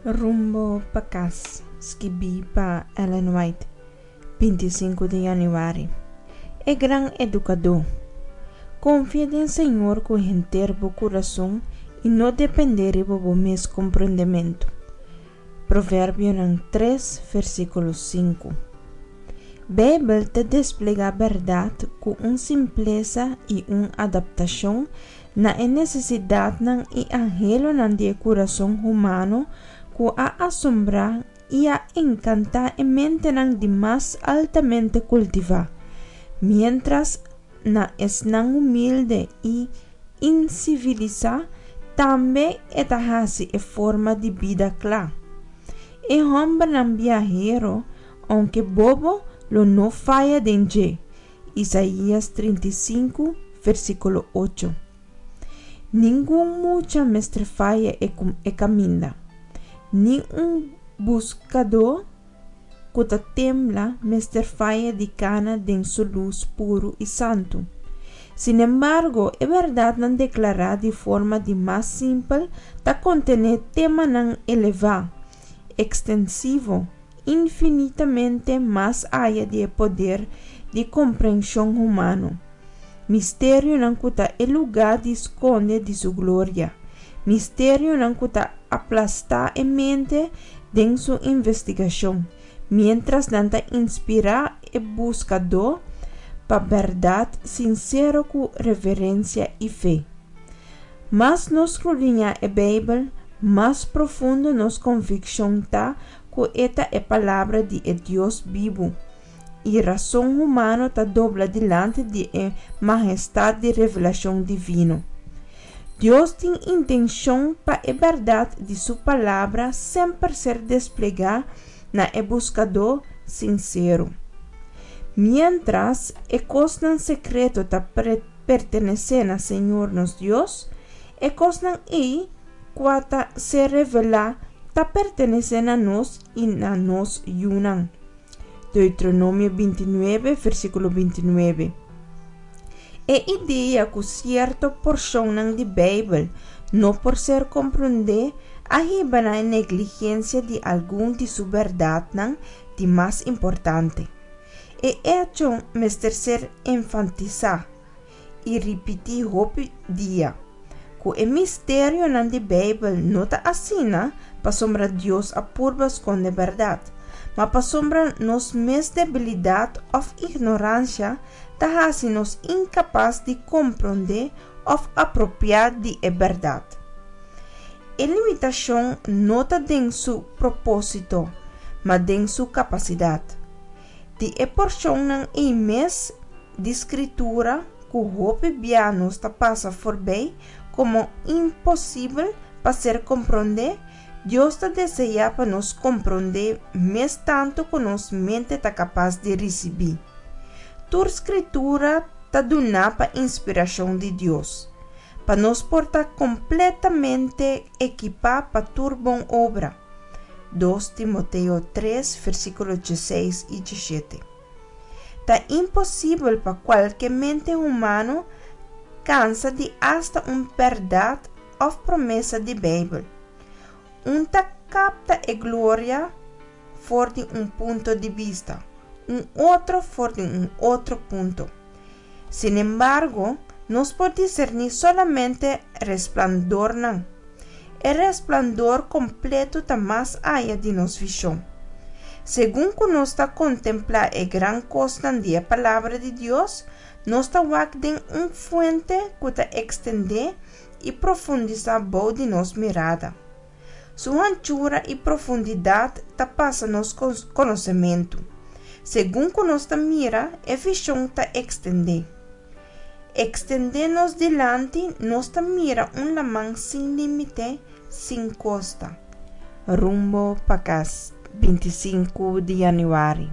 Rumbo pa Kas, skibí pa Ellen White, 25 di yanüari. E Gran Edukadó. Konfia den Señor ku henter bo kurason i no dependé riba bo mes komprondementu. Proverbionan 3, versíkulo 5. Beibel ta desplegá bèrdat ku un simplesa i un adaptashon na e nesesidatnan i anhelonan di e kurason humano ku a asombrá i a enkantá e mentenan di mas altamente kultivá, miéntras na esnan humilde i insivilisá tambe e ta hasi e forma di bida kla. E hòmbernan biahero, ounke bobo, lo no faya den dje. Isaías 35, versíkulo 8. Ningun mucha mester faya e e kaminda. Ni un buskadó ku ta tembla mester faya di kana den su lus puru i santu. Sinembargo, e bèrdatnan deklará di forma di mas simpel ta kontené temanan elevá, ekstensivo, infinitamente mas aya di e poder di komprenshon humano, misterionan ku ta e lugá di skonde di su gloria, misterionan ku ta aplastá e mente den su investigashon, miéntras nan ta inspirá e buskadó pa bèrdat sinsero ku reverensia i fe. Mas nos skrudiñá e Beibel, mas profundo nos konvikshon ta ku e ta e Palabra di e Dios bibu, i rason humano ta dobla dilanti di e mahestat di revelashon divino. Dios tin intenshon pa e bèrdat di su Palabra semper ser desplegá na e buskadó sinsero. Miéntras e kosnan sekreto ta pertenesé na Señor nos Dios, e kosnan ei kua ta ser revelá ta pertenesé na nos i na nos yunan. Deuteronomio 29, versíkulo 29. E idea ku sierto porshonnan di Beibel no por ser komprondé a hiba na e negligensia di algun di su bèrdatnan di mas importante. E echo mester ser enfatisá i ripití hopi dia, ku e misterionan di Beibel no ta asina pasobra Dios a purba skonde bèrdat, ma pasobra nos mes debilidat òf ignoransia ta hasi nos inkapas di komprondé òf apropiá di e bèrdat. E limitashon no ta den su propósito, ma den su kapasidat. Di e porshonnan ei mes di Skritura ku hopi bia nos ta pasa forbei komo imposibel pa ser komprondé, Dios ta deseá pa nos komprondé mes tantu ku nos mente ta kapas di risibí. Tur Skritura ta duná pa inspirashon di Dios, pa nos por ta kompletamente ekipá pa tur bon obra. 2 Timoteo 3, versíkulo 16 i 17. Ta imposibel pa kualke mente humano kansa di asta un bèrdat òf promesa di Beibel. Un ta kapta e gloria for di un punto di bista, un otro for di un otro punto. Sinembargo, nos por diserní solamente resplandornan. E resplandor kompleto ta mas aya di nos vishon. Segun ku nos ta kontemplá e gran kosnan di e Palabra di Dios, nos ta wak den un fuente ku ta ekstendé i profundisá bou di nos mirada. Su hanchura i profundidat ta pasa nos konosementu. Segun ku nos ta mira, e vishon ta ekstendé. Ekstendé nos dilanti, nos ta mira un laman sin límite, sin kosta. Rumbo pa kas, 25 di yanüari.